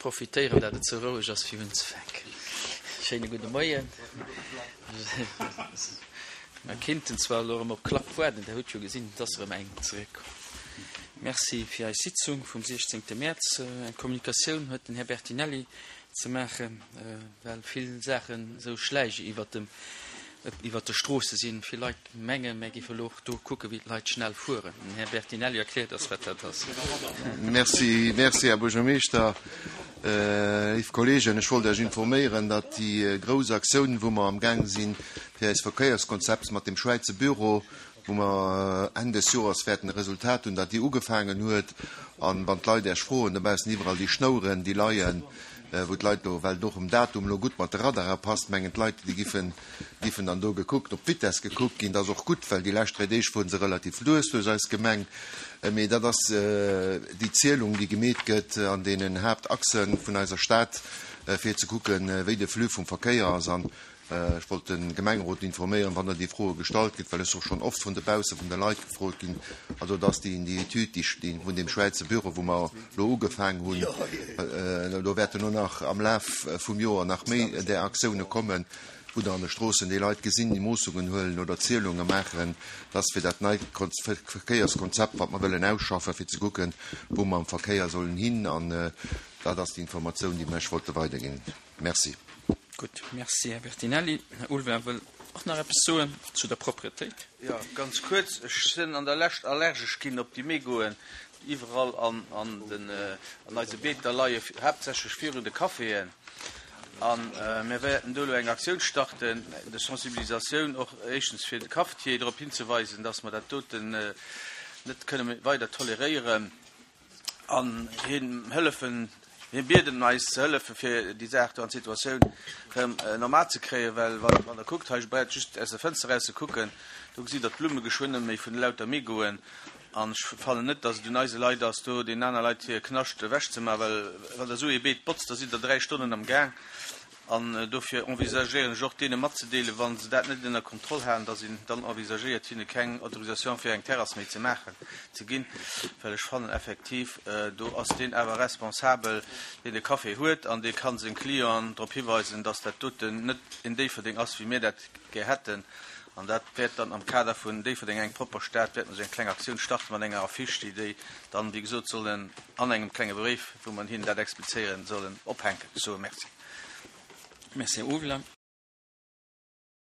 profitéieren, dat et sou roueg ass, fir unzefänken. Schéine gudde Moien. Mer kinnten zwar elo erëm op Klapp waarden, Der hutt jo gesinn, et ass erëm eng zeréckkomm. Merci fir eis Sitzung vum 16. Mäerz. Eng Kommunikatioun huet den Här Bertinelli ze maachen, well vill Saachen esou schläige iwwert dem, iwwert de Stroosse sinn. Vill Leit mengen, mär géife elo och do kucken, wéi d'Leit schnell fueren. Den Här Bertinelli erkläert eis, wat dat ass. Merci, merci, Här Buergermeeschter. Léif Kolleegen, ech wollt Iech informéieren, datt déi grouss Aktioun, wou mer amgaang sinn, fir eist Verkéierskonzept mat dem Schwäizer Büro, wou mer Enn des Joers wäerten e Resultat hunn, datt déi ugefaangen huet. An wann d'Leit Iech froen dobaussen, iwwerall déi Schnouren, déi leien, wou d'Leit elo, well et och um Datum elo gutt mat de Radare passt, mengen d'Leit, déi giffen, giffen dann do gekuckt, op d'Vitess gekuckt ginn. Dat ass och gutt, well déi lescht 3 Deeg fuere se relativ lues duerch eis Gemeng. Mee dat ass déi Zielung, déi gemeet gëtt an deenen Haaptachse vun eiser Stad, fir ze kucken, wéi de Flux vum Verkéier ass. An ech wollt de Gemengerot informéieren, wann der déi Froe gestallt gëtt, well ech och schonn oft vun dobausse vun de Leit gefrot ginn, also dass déi déi Etüd, déi vun deem Schwäizer Büro, wou mer elo ugefaang hunn, do wäerten elo nach am Laf vum Joer nach méi där Aktioune kommen, wou der an de Stroossen déi Leit gesinn, déi Moossungen huelen oder Zielunge maachen, dass fir dat neit Verkéierskonzept, wat mer wëllen ausschaffen, fir ze kucken, wou mer am Verkéier sollen hin. An dat ass déi Informatioun, déi mer Iech wollte weiderginn. Merci. Gutt, merci, Här Bertinelli. Här Ulveling wëll och nach eppes soen zu der Propretéit. Jo, ganz kuerz. Ech sinn an der Lescht allergesch ginn op déi Mégoen, déi iwwerall an an eise Beeter leien, haaptsächlech virun de Caféen. A mir wäerten do elo eng Aktioun starten de sensibilisatioun, och éischtens fir de Cafetier drop hinzeweisen, dass mer dat doten net kënne méi weider toleréieren an him hëllefen, hie bieden eis ze hëllefen, fir déi Saach do an d'Situatioun erëm normal ze kréien, well wann Der kuckt, hei braucht just aus der Fënster eraus ze kucken, do gesitt Der d'Blumme geschwënn net méi vun elauter Mégoen. An ech fannen net, dass et un eise Leit ass, do deenen aner Leit hir Knascht ewechzemaachen, well wann Der esou ee Beet botzt, da sidd Der 3 Stonnen am Gaang. An dofir envisagéieren ech och, deene matzedeelen, wa se dat net ënner Kontroll halen, dass een dann envisagéiert, hinne keng Autorisation fir eng Terrass méi ze maachen, ze ginn, well ech fannen effektiv, do ass deen awer responsabel, deen de Café huet, an dee ka seng Clienten drop hiweisen, dass dat doten net en Déifferdeng ass, wéi mir dat gär hätten. An dat wäert dann am Kader vun Déifferdeng eng propper Stad, wäerte mer esou eng kleng Aktioun starte mat enger Affiche, déi déi dann, wéi gesot, sollen an engem klenge Bréif, wou mer hinnen dat explizéieren, sollen ophänken. Ech soe Merci. Merci, Här Uwler.